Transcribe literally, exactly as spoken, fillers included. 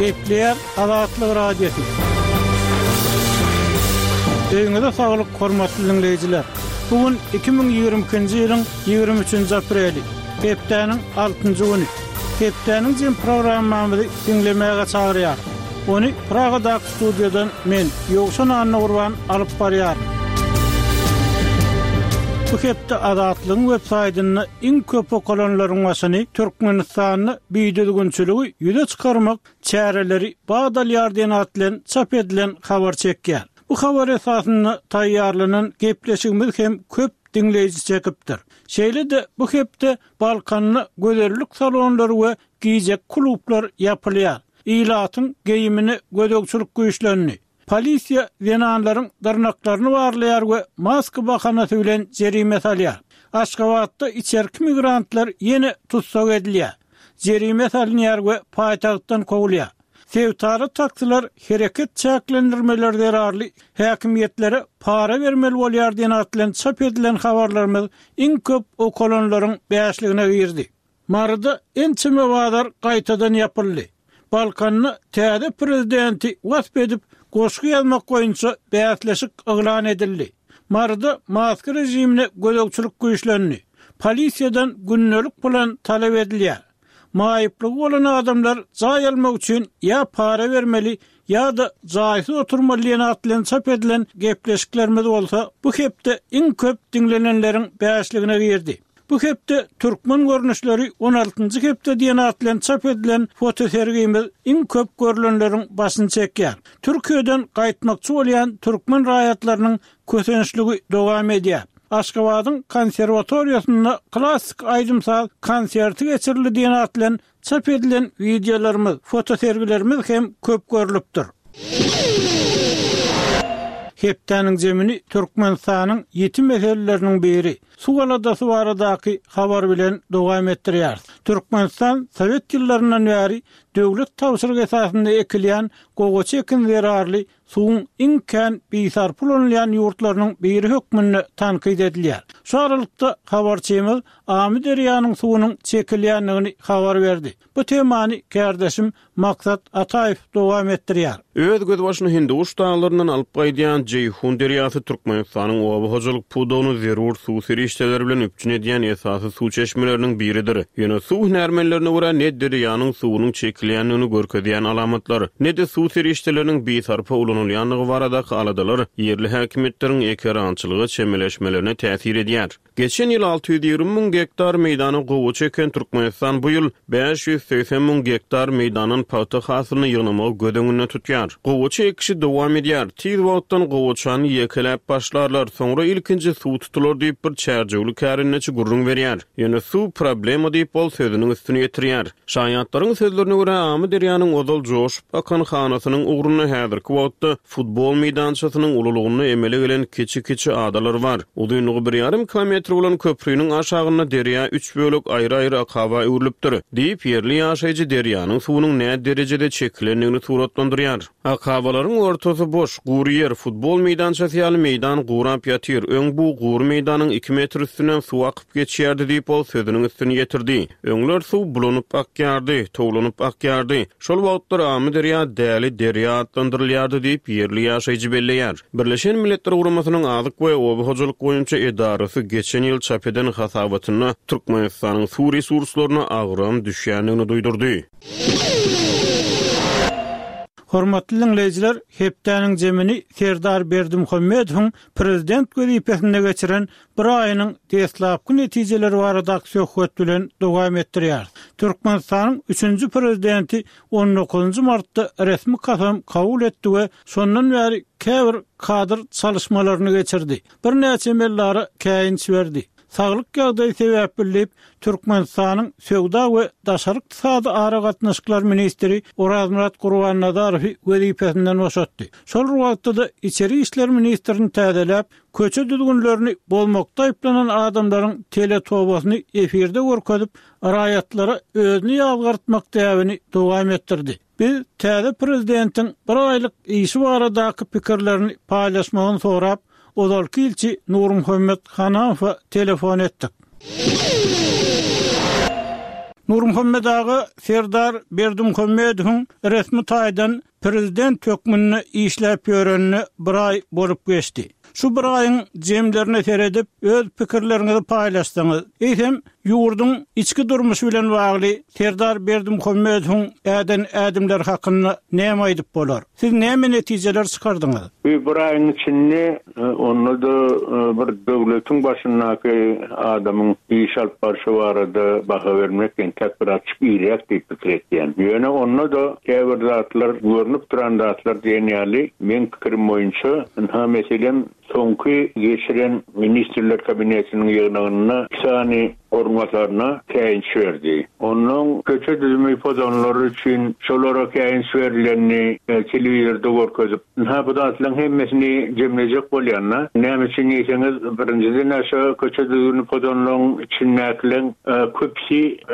Gepleýär Azatlyk Radiosy. Öýüňize saglyk, hormatly diňleýjiler. Bu gün iki müň ýigrimi ikinji ýylyň ýigrimi üçünji apreli, hepdäniň altynjy güni. Hepdäniň jem programmamyzy diňlemäge çagyrýar. Ony Pragadaky studiýadan men, Ýowşan Annagurban alyp barýaryn. Bu hepde Azatlygyň web saýtynda iň köp okalanlaryň başyny Türkmenistanda bidüzgünçiligi ýüze çykarmak çäreleri bat alýar diýen at bilen çap edilen habar çekýär. Bu habar esasynda taýýarlanan gepleşigimiz hem köp diňleýji çekipdir. Şeýle-de bu hepde Balkanda gözellik salonlary we gije klublar ýapylýar. Ilatyň geýimine gözegçilik güýçlendi. Polisiýa zenanlaryň dyrnaklaryny barlaýar we maska bahanasy bilen jerime salýar. Aşgabatda içerki migrantlar ýene tussag edilýär. Jerime salynýar we paýtagtdan kowulýar. Sebitara taksiler hereket çäklendirmeleri zerarly häkimiýetlere para bermeli bolýar diýen at bilen çap edilen habarlarymyz iň köp okalanlaryň bäşligine girdi. Maryda ençeme bazar gaýtadan ýapyldy. Balkanda täze prezidenti wasp edip goşgy ýazmak boýunça bäsleşik yglan edildi. Maryda maska rejimine gözegçilik güýçlendi. Polisiýadan gündelik plan talap edilýär. Maýyplygy bolan adamlar jaý almak üçin ýa para bermeli ýa-da jaýsyz oturmaly diýen at bilen çap edilen gepleşiklerimiz bolsa bu hepde iň köp diňlenenleriň bäşligine girdi. Bu hepde türkmen görnüşleri on altynjy hepde diýen at bilen çap edilen fotosergimiz iň köp görülenleriň başyny çekýär. Türkiýeden gaýtmakçy bolýan türkmen raýatlarynyň kösençligi dowam edýär. Aşgabadyň konserwatoriýasynda klassyk aýdym-saz konserti geçirildi diýen at bilen çap edilen wideolarymyz, fotosergilerimiz hem köp görülipdir. Hepdäniň zemini Türkmenistanyň ýiti meseleleriniň biri suw aladasy baradaky habar bilen dowam etdirýär. Türkmenistan Sowet ýyllaryndan bäri döwlet tabşyrygy esasynda ekilýän gowaça ekin zerarly suwuň iň kän bisarp ulanylýan ýurtlarynyň biri hökmünde tankyt edilýär. Şu aralykda habarçymyz Amyderýanyň suwunyň çekilýändigini habar berdi. Bu temany kärdeşim Maksat Ataýew dowam etdirýär. Öz gözbaşyny Hinduguş daglaryndan alyp gaýdýan Jeýhun derýasy Türkmenistanyň oba hojalyk pudagyny zerur suw serişdeleri bilen üpjün edýän esasy suw çeşmeleriniň biridir. Ýöne suw hünärmenlerine görä ne derýanyň suwunyň çekilýändigini görkezýän alamatlar, ne-de suw serişdeleriniň bisarpa ulanylýandygy baradaky aladalar ýerli häkimiýetleriň ekerançylyga çemeleşmelerine täsir edýär. Geçen ýyl alty ýüz ýigrimi müň gektar meýdana gowaça eken Türkmenistan bu ýyl bäş ýüz segsen müň gektar meýdandan pagta hasylyny ýygnamagy göz öňünde tutýar. Gowaça ekişi dowam edýär. Tiz wagtdan gowaçany ýekeläp başlarlar, soňra ilkinji suw tutular diýip bir çärjewli kärendeçi gürrüň berýär. Ýöne suw problema diýip ol sözüniň üstüni ýetirýär. Şaýatlaryň sözlerine görä Amyderýanyň ozal joşup akan hanasynyň ugrunda häzirki wagtda futbol meýdançasynyň ululygynda emele gelen kiçi-kiçi adalar bar. Uzynlygy bir ýarym kilometr bolan köprüniň aşagynda derýa üç bölek aýry-aýry akaba öwrülipdir. Diýip, ýerli ýaşaýjy derýanyň suwunyň nä derejede çekilendigini suratlandyrýar. Akabalaryň ortasy boş, gury ýer, futbol meýdançasy ýaly meýdan gurap ýatyr. Öň bu gury meýdanyň iki metr üstünden suw akyp geçýärdi diýip ol sözüniň üstüni ýetirdi. Öňler suw bulanyp akýardy, towlanyp akýardy. Şol wagtlar Amyderýa däli derýa atlandyrylýardy diýip ýerli ýaşaýjy belleýär. Birleşen Milletler Guramasynyň Azyk we Oba hojalyk boýunça edarasy geçen ýyl çap eden hasabatynda Türkmenistanyň suw resurslaryna agram düşýändigini duýdurdy. Hormatly dinleýjiler, hepdäniň zemini Serdar Berdimuhamedowyň prezident wezipesinde geçiren bir aýynyň deslapky netijeleri baradaky söhbet bilen dowam etdirýär. Türkmenistanyň üçünji prezidenti on dokuzynjy martda resmi kasam kabul etdi we şondan bäri käbir kadr çalışmalaryny geçirdi. Birnäçe emellara käýinç berdi. Saglyk ýagdaýy sebäpli diýip, Türkmenistanyň Söwda we Daşary ykdysady aragatnaşyklar ministri Orazmyrat Gurbannazarowy wezipesinden boşatdy. Şol wagtda-da içeri işler ministrini täzeläp, köçe düzgünlerini bozmakda aýyplanan adamlaryň teletobasyny efirde görkezip, raýatlara özüni ýazgartmak däbini dowam etdirdi. Biz täze prezidentiň bir aýlyk işi baradaky pikirlerini paýlaşmagyny sorap, ozalky ilçi Nurmuhammet Hanamowa telefon etdik. Nurmuhammet aga Serdar Berdimuhamedowyň resmi taýdan prezident hökmünde işläp ýörenine bir aý bolup geçdi. Şu bir aýyň jemlerine seredip öz pikirleriňizi paýlaşdyňyz. Eýsem ýurduň içki durmuşy bilen bagly Serdar Berdimuhamedowyň äden ädimleri hakynda näme aýdyp bolar? Siz näme netijeler çykardyňyz? Bu bir aýyň içinde onda-da bir döwletiň başyndaky adamyň iş alyp barşy barada baha bermek entek biraz irräk diýip pikir etýän. Ýöne onda-da käbir zatlar görnüp duran zatlar diýen ýaly meň pikirim boýunça ynha meselem soňky geçiren ministrler kabinetiniň ýygnagynda iki sany orunbasaryna käýinç berdi. Ondan köçe düzümi pozanlary üçin şolara käýinç berilenini telewizorda görkezip, ynha bu zatlaryň hemmesini jemlejek bolýanda, näme üçin diýseňiz, birinjiden aşa köçe düzümi pozanlaryň içindäkileň köpüsi